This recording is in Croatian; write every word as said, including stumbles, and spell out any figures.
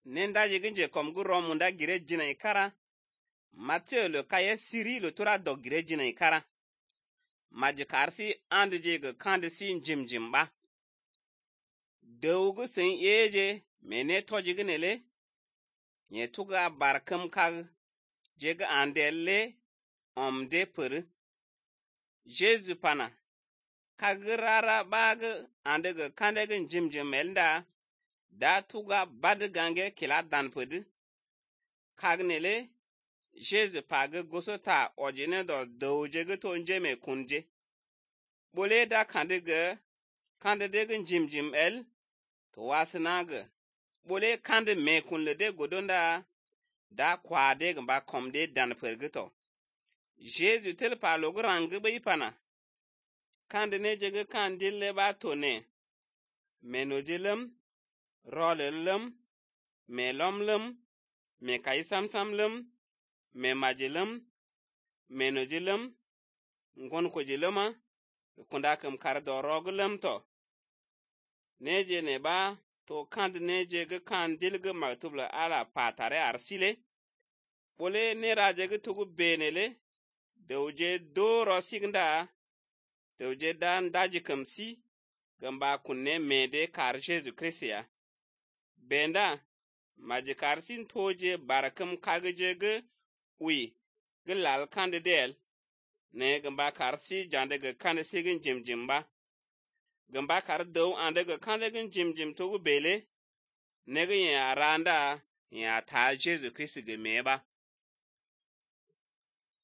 nenda jiginje kom gu romunda gire jina ikara. Matthew lo kaya siri lo tura dog gire jina ikara. Majikarsi andje ga kandisi njim jimba. Dawgu sen eje mene tojiginele. Nye tuga barkam kag jega andelle omde pur. Jesu pana. Kagrara bag andega kandega njim jimelda. Da tuga bad gange kila dan pud. Kagnele Jesu pag gosota ojine do dawjega to njeme kunje. Bole da kandega kandega njim jim el to wasinaga. Bole kande me kunle de godonda da kwade gamba komde dan purgito. Jesu tel pa logo rangi ba ipana. Kande ne jega kandile ba tone. Menodilum, rolelum, melomlum, me kaisamsamlum, me majilum, menodilum, ngon ko jiluma, kundakam kardo rogulum to. Neje ne ba to kande ne jega kandilga maktubla ala patare arsile. Bole ne rajega tugu benele. Dawje doro sigda. Dawje dan daji kamsi. Gamba kunne mede kar Jesu Christia. Benda majikarsin toje barakam kagejege ui gelal kandidel ne gamba karsi jandega kandesigin jimjimba. Gamba kar daw andega kandegin jimjim togu bele nege ya randa ya ta Jesu Christi ge meba.